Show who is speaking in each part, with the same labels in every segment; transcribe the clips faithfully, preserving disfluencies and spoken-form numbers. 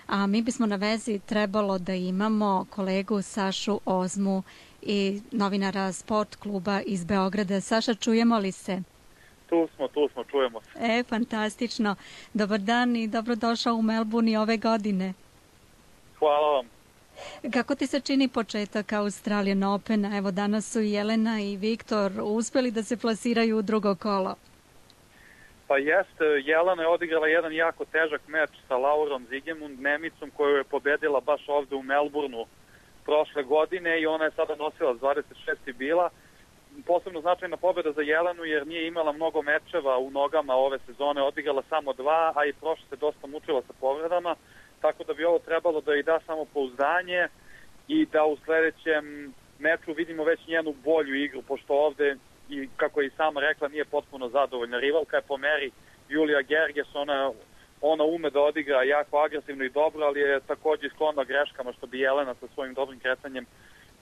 Speaker 1: a mi bismo na vezi trebalo da imamo kolegu Sašu Ozmu i novinara Sport kluba iz Beograda. Saša, čujemo li se?
Speaker 2: Tu smo, tu smo, čujemo se.
Speaker 1: E, fantastično. Dobar dan i dobrodošao u Melbourne ove godine.
Speaker 2: Hvala vam.
Speaker 1: Kako ti se čini početak Australian Opena? Evo, danas su Jelena i Viktor uspeli da se plasiraju u drugo kolo.
Speaker 2: Pa jeste, Jelena je odigrala jedan jako težak meč sa Laurom Zigemund, Nemicom, koju je pobedila baš ovde u Melbourneu prošle godine i ona je sada nosila dvadeset šest bila. Posebno značajna pobeda za Jelenu jer nije imala mnogo mečeva u nogama ove sezone, odigrala samo dva, a i prošle se dosta mučila sa povredama, tako da bi ovo trebalo da i da samo pouzdanje i da u sledećem meču vidimo već njenu bolju igru, pošto ovde, i kako je i sama rekla, nije potpuno zadovoljna. Rivalka je po meri Julija Gerges, ona, ona ume da odigra jako agresivno i dobro, ali je takođe sklona greškama što bi Jelena sa svojim dobrim kretanjem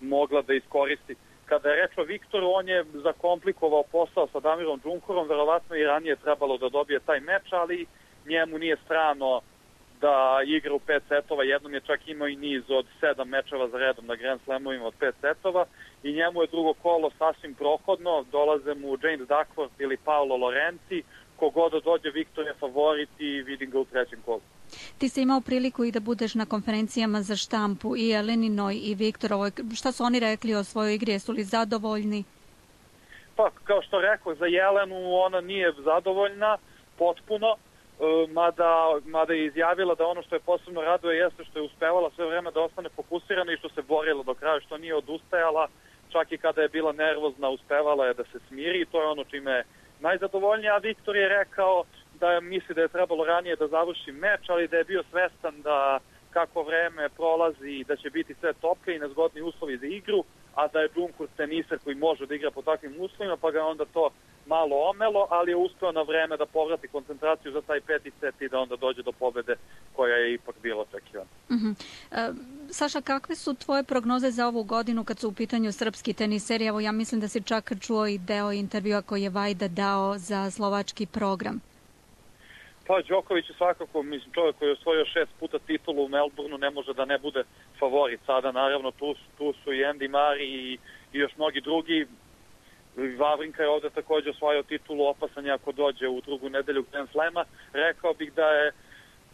Speaker 2: mogla da iskoristi. Kada je reč o Viktoru, on je zakomplikovao posao sa Damirom Džunkurom, verovatno i ranije trebalo da dobije taj meč, ali njemu nije strano da igra u pet setova, jednom je čak imao i niz od sedam mečeva za redom na Grand Slamovima od pet setova i njemu je drugo kolo sasvim prohodno, dolaze mu James Duckworth ili Paolo Lorenzi, kogoda dođe Viktor je favorit i vidim ga u trećem kolu.
Speaker 1: Ti si imao priliku i da budeš na konferencijama za štampu i Jeleninoj i Viktorovoj. Šta su oni rekli o svojoj igri? Jesu li zadovoljni?
Speaker 2: Pa, kao što rekao, za Jelenu ona nije zadovoljna potpuno, mada, mada je izjavila da ono što je posebno raduje jeste što je uspevala sve vreme da ostane fokusirana i što se borila do kraja, što nije odustajala, čak i kada je bila nervozna uspevala je da se smiri i to je ono čime je najzadovoljnija. A Viktor je rekao da misli da je trebalo ranije da završi meč, ali da je bio svestan da kako vreme prolazi i da će biti sve toplije i nezgodni uslovi za igru, a da je Džunkur teniser koji može da igra po takvim uslovima, pa ga onda to malo omelo, ali je uspeo na vreme da povrati koncentraciju za taj peti set i da onda dođe do pobede koja je ipak bila očekivana.
Speaker 1: Uh-huh. E, Saša, kakve su tvoje prognoze za ovu godinu kad su u pitanju srpski teniseri? Evo, ja mislim da si čak čuo i deo intervjua koji je Vajda dao za slovački program.
Speaker 2: Pa, Đoković je svakako, mislim, čovjek koji je osvojio šest puta titulu u Melbourneu, ne može da ne bude favorit. Sada, naravno, tu, tu su i Andy Murray i, i još mnogi drugi. Vavrinka je ovde takođe osvojio titulu, opasan je ako dođe u drugu nedelju Grand Slema. Rekao bih da je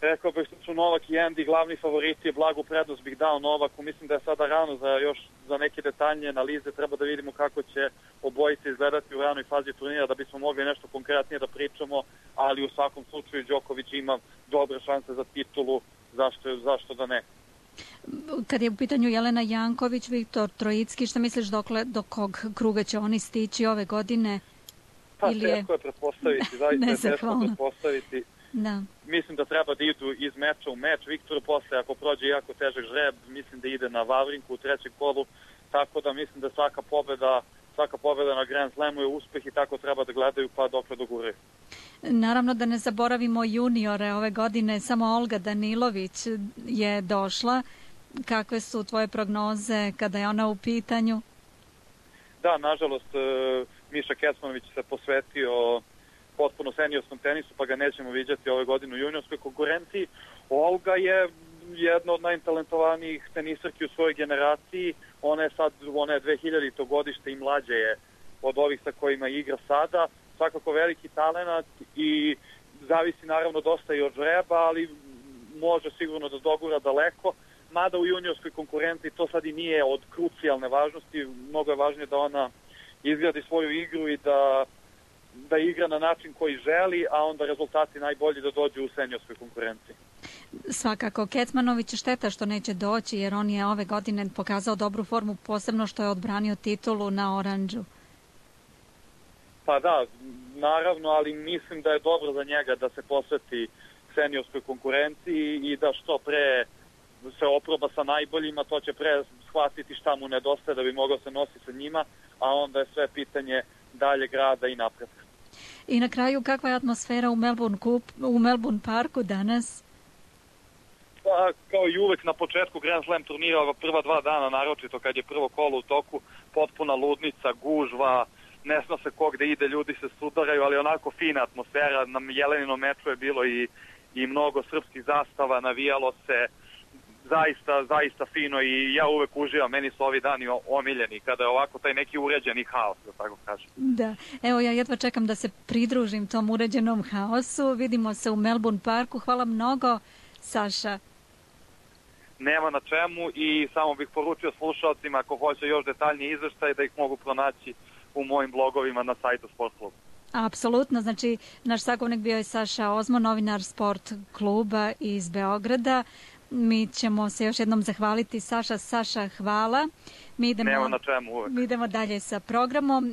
Speaker 2: Rekao bih da su Novak i Andy glavni favoriti, blagu prednost bih dao Novaku. Mislim da je sada rano za još za neke detaljnije analize, treba da vidimo kako će obojice izgledati u ranoj fazi turnira da bismo mogli nešto konkretnije da pričamo, ali u svakom slučaju Đoković ima dobre šanse za titulu, zašto, zašto da ne.
Speaker 1: Kad je u pitanju Jelena Janković, Viktor Trojicki, šta misliš dokle, do kog kruga će oni stići ove godine?
Speaker 2: Pa Ili je... teško je pretpostaviti, zaista je teško pretpostaviti.
Speaker 1: Da.
Speaker 2: Mislim da treba da idu iz meča u meč. Viktor posle, ako prođe jako težak žreb, mislim da ide na Vavrinku u trećem kolu, tako da mislim da svaka pobeda, svaka pobeda na Grand Slamu je uspeh i tako treba da gledaju pa dokle doguraju.
Speaker 1: Naravno da ne zaboravimo juniore ove godine, samo Olga Danilović je došla. Kakve su tvoje prognoze kada je ona u pitanju?
Speaker 2: Da, nažalost, Miša Kecmanović se posvetio potpuno seniorskom tenisu, pa ga nećemo viđati ove godine u juniorskoj konkurenciji. Olga je jedna od najtalentovanijih tenisarki u svojoj generaciji. Ona je sad, ona je dve hiljadito godište i mlađe je od ovih sa kojima igra sada. Svakako veliki talenat i zavisi naravno dosta i od žreba, ali može sigurno da dogura daleko. Mada u juniorskoj konkurenciji to sad i nije od krucijalne važnosti. Mnogo je važnije da ona izgradi svoju igru i da da igra na način koji želi, a onda rezultati najbolji da dođu u seniorskoj konkurenciji.
Speaker 1: Svakako, Kecmanović šteta što neće doći, jer on je ove godine pokazao dobru formu, posebno što je odbranio titulu na Oranđu.
Speaker 2: Pa da, naravno, ali mislim da je dobro za njega da se posveti seniorskoj konkurenciji i da što pre se oproba sa najboljima, to će pre shvatiti šta mu nedostaje da bi mogao se nositi sa njima, a onda je sve pitanje daljeg rada i napretka.
Speaker 1: I na kraju, kakva je atmosfera u Melbourne, Cup, u Melbourne Parku danas?
Speaker 2: Pa, kao i uvek na početku Grand Slam turnira, prva dva dana, naročito kad je prvo kolo u toku, potpuna ludnica, gužva, ne zna se ko gde ide, ljudi se sudaraju, ali onako fina atmosfera. Na Jeleninom meču je bilo i i mnogo srpskih zastava, navijalo se zaista, zaista fino i ja uvek uživam, meni su ovi dani omiljeni kada je ovako taj neki uređeni haos, da tako kažem.
Speaker 1: Da, evo ja jedva čekam da se pridružim tom uređenom haosu, vidimo se u Melbourne parku, hvala mnogo Saša.
Speaker 2: Nema na čemu i samo bih poručio slušalcima ako hoće još detaljniji izveštaj da ih mogu pronaći u mojim blogovima na sajtu Sport kluba.
Speaker 1: Apsolutno, znači naš sagovornik bio je Saša Ozmo, novinar Sport kluba iz Beograda. Mi ćemo se još jednom zahvaliti. Saša, Saša, hvala. Mi idemo,
Speaker 2: Nema na čemu uvek.
Speaker 1: Mi idemo dalje sa programom.